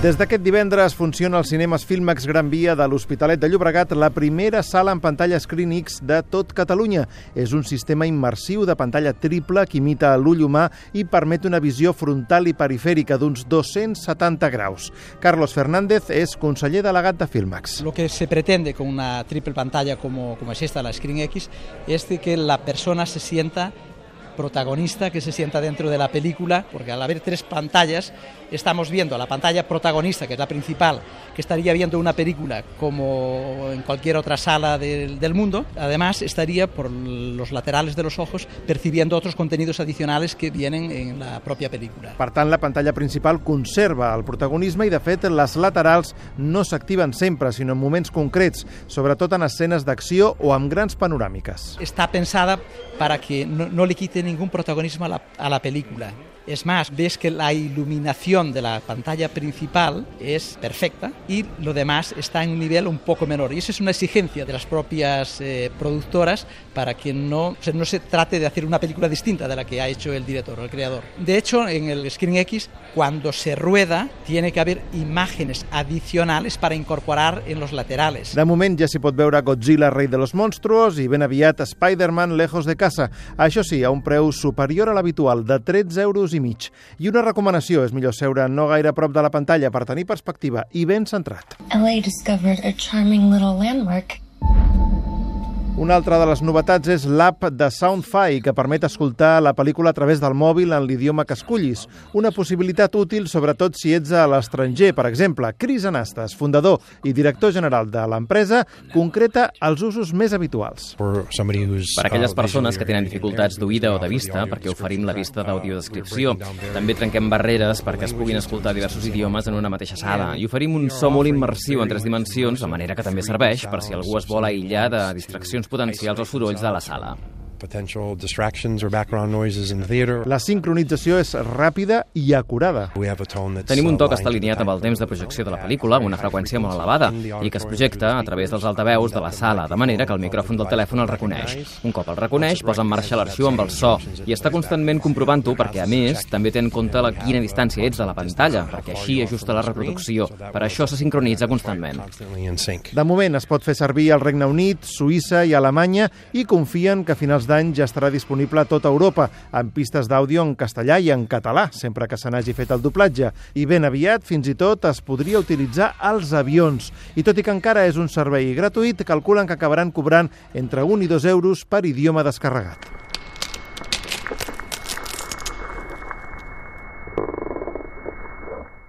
Des d'aquest divendres funciona als cinemes Filmax Gran Via de l'Hospitalet de Llobregat la primera sala en pantalla ScreenX de tot Catalunya. És un sistema immersiu de pantalla triple que imita l'ull humà i permet una visió frontal i perifèrica d'uns 270 graus. Carlos Fernández és conseller delegat de Filmax. Lo que se pretende con una triple pantalla como es esta, la ScreenX, es de que la persona se sienta protagonista, que se sienta dentro de la película, porque al haber tres pantallas estamos viendo la pantalla protagonista, que es la principal, que estaría viendo una película como en cualquier otra sala del mundo. Además estaría por los laterales de los ojos percibiendo otros contenidos adicionales que vienen en la propia película. Per tant, la pantalla principal conserva el protagonisme i, de fet, les laterals no s'activen sempre, sinó en moments concrets, sobretot en escenes d'acció o amb grans panoràmiques. Está pensada para que no le quite ningún protagonismo a la película. Es más, ves que la iluminación de la pantalla principal es perfecta y lo demás está en un nivel un poco menor. Y eso es una exigencia de las propias productoras para que no se trate de hacer una película distinta de la que ha hecho el director o el creador. De hecho, en el ScreenX, cuando se rueda, tiene que haver imágenes adicionales para incorporar en los laterales. De moment ja s'hi pot veure Godzilla, rei de los monstruos, i ben aviat Spider-Man, lejos de casa. Això sí, a un preu superior a l'habitual, de 13,5 euros. I una recomanació, és millor seure no gaire a prop de la pantalla per tenir perspectiva i ben centrat. LA discovered a charming little landmark. Una altra de les novetats és l'app de Soundfy, que permet escoltar la pel·lícula a través del mòbil en l'idioma que escullis. Una possibilitat útil, sobretot si ets a l'estranger. Per exemple, Cris Anastas, fundador i director general de l'empresa, concreta els usos més habituals. Per aquelles persones que tenen dificultats d'oïda o de vista, perquè oferim la vista d'audiodescripció. També trenquem barreres perquè es puguin escoltar diversos idiomes en una mateixa sala. I oferim un so molt immersiu en 3 dimensions, de manera que també serveix per si algú es vol aïllar de distraccions potencials o sorolls de la sala. La sincronització és ràpida i acurada. Tenim un to que està alineat amb el temps de projecció de la pel·lícula, amb una freqüència molt elevada, i que es projecta a través dels altaveus de la sala, de manera que el micròfon del telèfon el reconeix. Un cop el reconeix, posa en marxa l'arxiu amb el so, i està constantment comprovant-ho perquè, a més, també té en compte a quina distància ets de la pantalla, perquè així ajusta la reproducció. Per això se sincronitza constantment. De moment es pot fer servir al Regne Unit, Suïssa i Alemanya, i confien que a finals d'any ja estarà disponible a tota Europa, amb pistes d'àudio en castellà i en català, sempre que se n'hagi fet el doblatge. I ben aviat, fins i tot, es podria utilitzar als avions. I tot i que encara és un servei gratuït, calculen que acabaran cobrant entre 1 i 2 euros per idioma descarregat.